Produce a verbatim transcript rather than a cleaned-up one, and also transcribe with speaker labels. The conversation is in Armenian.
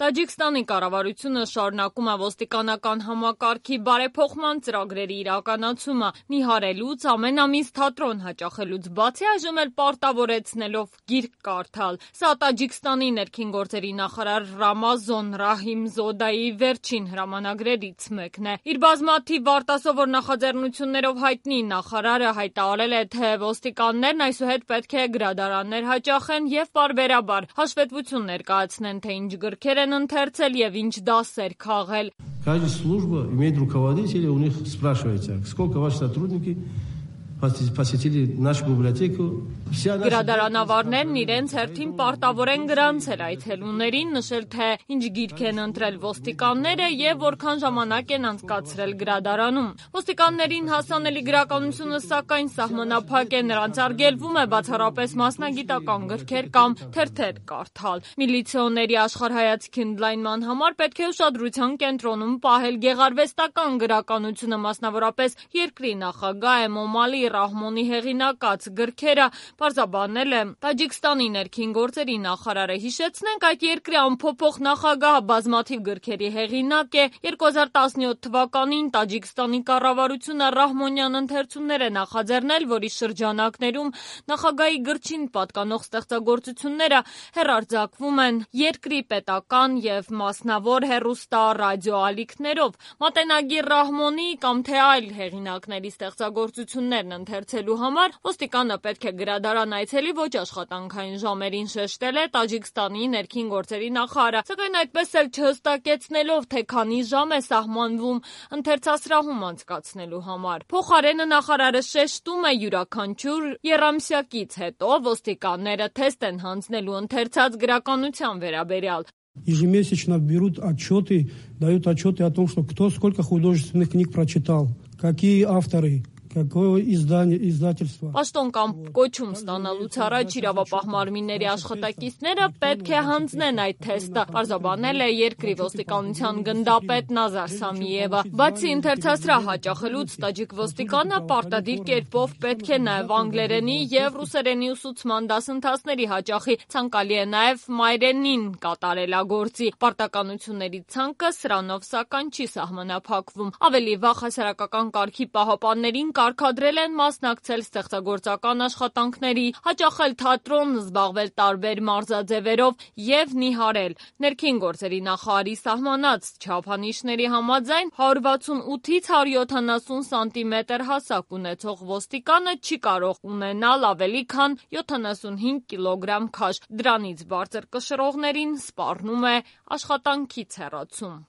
Speaker 1: Տաջիկստանի կառավարությունը շարունակում է ոստիկանական համակարգի բարեփոխման ծրագրերի իրականացումը՝ նիհարելուց, ամեն ամիս թատրոն հաճախելուց բացի այժմ էլ պարտավորեցնելով գիրք կարդալ։ Սա Տաջիկստանի ներքին գործերի նախարար Ռամազոն Ռահիմզոդայի վերջին հրամանագրերից մեկն է։ Իր բազմաթիվ արտասովոր նախաձեռնություններով հայտնի նախարարը հայտարարել է, թե ոստիկաններն այսուհետ պետք է գրադարաններ հաճախեն եւ պարբերաբար հաշվետվություն ներկայացնեն, թե ինչ գրքեր են ընթերցել եւ ինչ դասեր քաղել։
Speaker 2: Каждая служба имеет руководителя, у них спрашивается, сколько ваши сотрудники посетили нашу библиотеку.
Speaker 1: Գրադարանավարներն իրենց հերթին պարտավոր են գրանցել այցելուներին, նշել, թե ինչ գիրք են ընտրել ոստիկանները եւ որքան ժամանակ են անցկացրել գրադարանում։ Ոստիկաններին հասանելի գրականությունը սակայն սահմանափակ է, նրանց արգելվում է բացառապես մասնագիտական գրքեր կամ թերթեր կարդալ։ Միլիցիոների աշխարհայացքի ընդլայնման համար պետք է ուշադրության կենտրոնում պահել գեղարվեստական գրականությունը, մասնավորապես երկրի նախագահ Էմոմալի Ռահմոնի հեղինակած գրքերը, պարզաբանել է Տաջիկստանի ներքին գործերի նախարարը։ Հիշեցնենք, այդ երկրի անփոփոխ նախագահը բազմաթիվ գրքերի հեղինակ է։ երկու հազար տասնյոթ թվականին Տաջիկստանի կառավարությունը Ռահմոնյան ընթերցումներ է նախաձեռնել, որի շրջանակներում նախագահի գրչին պատկանող ստեղծագործությունները հեռարձակվում են երկրի պետական եւ մասնավոր հեռուստա ռադիոալիքներով։ Մատենագիր Ռահմոնի կամ թե այլ հեղինակների ստեղծագործություններն ընթերցելու համար ոստիկանը պետք է գրադարան այցելի ոչ աշխատանքային ժամերին, շեշտել է Տաջիկստանի ներքին գործերի նախարարը, սակայն այդպես էլ չհստակեցնելով, թե քանի ժամ է սահմանվում ընթերցասրահում անցկացնելու համար։ Փոխարենը նախարարը շեշտում է, յուրաքանչյուր եռամսյակից հետո ոստիկանները թեստ են հանձնելու ընթերցած գրականության վերաբերյալ։
Speaker 3: Ежемесячно берут отчеты, дают отчеты о том, что кто сколько художественных книг прочитал, какие авторы.
Speaker 1: Պաշտոն կամ կոչում ստանալուց առաջ իրավապահ մարմինների աշխատակիցները պետք է հանձնեն այդ թեստը, պարզաբանել է երկրի ոստիկանության գնդապետ Նազար Սամիևը։ Բացի ընթերցասրահ հաճախելուց, տաջիկ ոստիկանը պարտադիր կերպով պետք է նաև անգլերենի եւ ռուսերենի ուսուցման դասընթացների հաճախի, ցանկալի է նաև մայրենին կատարելագործի։ Պարտականությունների ցանկը սրանով սակայն չի սահմանափակվում։ Ավելի վաղ հասարակական կարգի պահապաններին կարգադրել են մասնակցել ստեղծագործական աշխատանքների, հաճախել թատրոն, զբաղվել տարբեր մարզաձևերով եւ նիհարել։ Ներքին գործերի նախարարի սահմանած չափանիշների համաձայն հարյուր վաթսունութից հարյուր յոթանասուն սանտիմետր հասակ ունեցող ոստիկանը չի կարող ունենալ ավելի քան յոթանասունհինգ կիլոգրամ քաշ։ Դրանից բարձր կշռողներին սպառնում է աշխատանքից հեռացում։